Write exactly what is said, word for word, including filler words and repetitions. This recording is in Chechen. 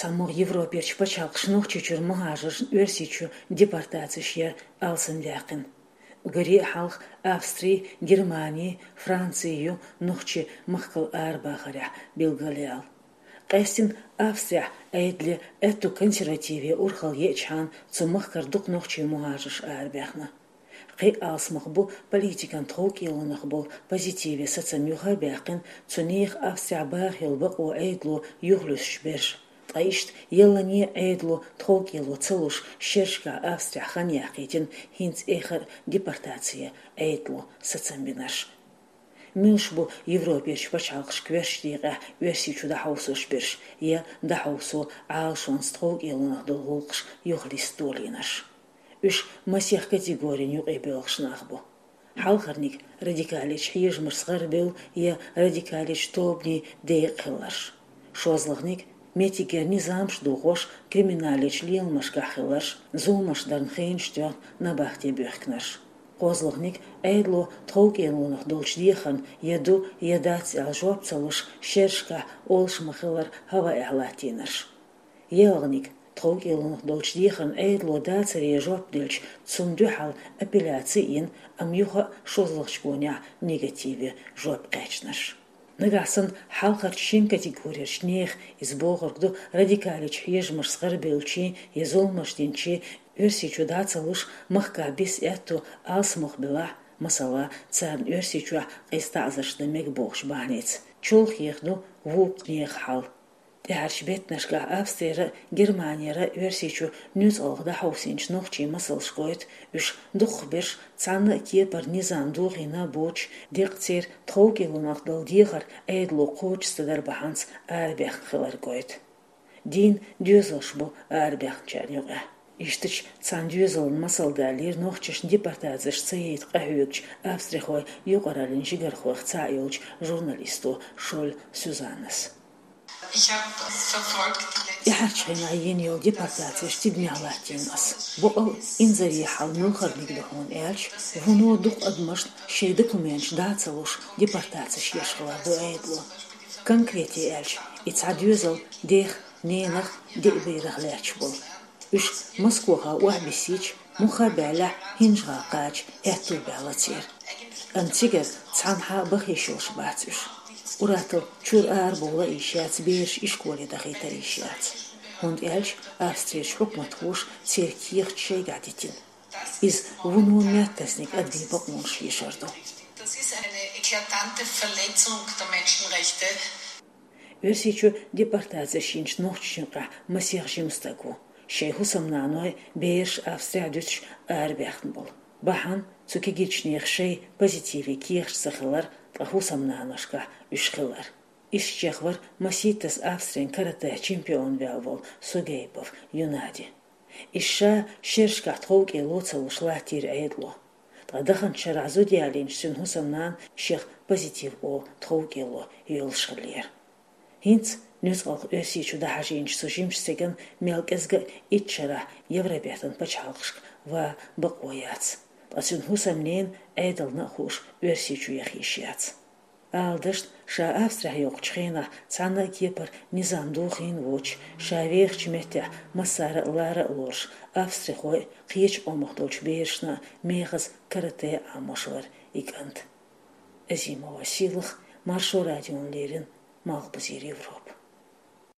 ЦхьамогӀа Европерчу пачхьалкхаша Нохчийчуьра мухӀажаршна Оьрсийчу депортацеш яр алсамдаьккхина. Уггаре а хьалха Австри, Германи, Франци ю нохчий махкал арабахарехь билгалъяьлла. Къаьстина Австрехь Ӏедале аьтту консервативе урхалла еъчхьана цу махкара дукха нохчий мухӀажарш арабаьхна. Кхин а алсамах бу политикан тховкӀелонах болу позитиве сацам юха а баьккхина, цу нехан Австрехь баха йолу бакъо Ӏедало юхалуьстуш берш. Ткъа иштта яллане а Ӏедало тховкӀело ца луш, шерашкахь Австрехь хан яьккхийтина хӀинца эххар а депортаци Ӏедало сацам бинарш. Муьлш бу Европерчу пачхьалкхаша коьртачу декъехь Оьрсийчу дӀахьовсош берш я дӀахьовсо Ӏалашонца тховкӀелонах долу гӀуллакхаш юхалиста долийнарш? Уьш масех категорин юкъе боьлхуш нах бу. Хьалхарниг радикалечу хьежамашца гӀарабевлла я радикалечу тобанийн декъахь хилларш. ШозлагӀниг меттигера низамаш дохош криминалечу леламашкахь хилларш, зуламаш дарна хенаш тоьхна набахте буьхкинарш. КхозлагӀниг Ӏедало тховкӀелонах долчу дехарна я ду, я дац аьлла жоп ца луш, шерашкахь олуш ма-хиллара хӀаваэхь латтийнарш. ЯлгӀаниг тховкӀелонах долчу дехарна Ӏедало дацаре жоп делча, цунна дуьхьал апелляци а йина, амма юха а шозлагӀчу гонехь негативе жоп кхаьчнарш. Нагахь санна хьалхарчу шина категорерчу нехан, иза бохург ду радикалечу хьежамашца гӀарабевллачийн я зуламаш динчийн, Оьрсийчу дӀа ца луш, махкахь биса аьтту алсамох белахь, масала, царна Оьрсийчохь къиза таӀзарш дан мега бохучу бахьанеца, чолхе ду вукху нехан хьал. ТӀаьхьарчу беттанашкахь Австрера а, Германера а Оьрсийчу нуьцкъалх дӀахьовсийначу нохчийн масалш гойту, уьш дукхахберш цхьана а кепара низам дохийна боцуш, деккъа церан тховкӀелонах долу дехар Ӏедало кхочуш ца даран бахьанца арабаьхна хилар гойту. Дийна доьзалш бу арабаьхначарна юкъахь. Ишттачу цхьана доьзалан масал далийра нохчашна депортацеш ца яйта къахьоьгучу австрихойн юкъараллин жигархойх цхьаъ йолчу журналисто Шолль Сюзаннас. ТӀаьхьарчу хенахь йина йолу депортацеш тидамехь латтийна ас. Боккъал а инзаре хьал муьлхарниг ду хьуна аьлча, вуно дукха адамашна шайн документаш дӀа ца луш депортацеш еш хилар ду Ӏедало. Конкрете аьлча, и цхьа доьзал дех, ненах, деа берах лаьтташ болу. Уьш Москохахь охьабиссийча, муха а баьллехь, ХӀинжа-ГӀала кхача аьтту баьлла церан. Амма цигара цхьанхьа а баха йиш йолуш бац уьш. Ур-атталла чуьра арабовла а йиш яц, бераш ишколе дахийта а йиш яц. ХӀунда аьлча Австрерчу хьукматхоша церан кехаташ шайгахь дитина. Иза вуно меттасниг адамийн бакъонаш хьешар ду. Das ist eine eklatante Verletzung der Menschenrechte. Оьрсийчу депортацеш йинчу нохчашна юкъахь масех жима стаг ву, шайн хӀусамнаной, бераш Австрехь дуьтуш арабаьхна болу. Бахьана цу кегийчу нехан шайн позитиве кехаташ ца хилар, ткъа хӀусамнаношкахь уьш хилар. Ишттачех вара масийттазза Австрин каратэ чемпион ваьлла волу Сугейпов Юнади. Иза ша шерашкахь тховкӀело ца луш латтийра Ӏедало. Ткъа даханчу шарахь зуда ялийначу цуьнан хӀусамнана шех позитив олу тховкӀело йоьллуш хиллера. ХӀинца нуьцкъалх Оьрсийчу дӀахьажийначу цу жимачу стеган мел кӀезга а итт шарахь Евробертан пачхьалкхашка ван бакъо яц. Ткъа цуьнан хӀусамненан Ӏедална а хууш Оьрсийчу яха йиш яц. Ала дашна, ша Австрехь йоккхучу хенахь цхьанна а кепара низам дохийна воцуш, ша вехачу меттехь массара а лара а лоруш, австрихой а, кхечу къомах долчу берашна а мехаза карате а Ӏамош вара и кӀант. Азимова Сийлаха, Маршо радиона леррина, Малхбузера Европа.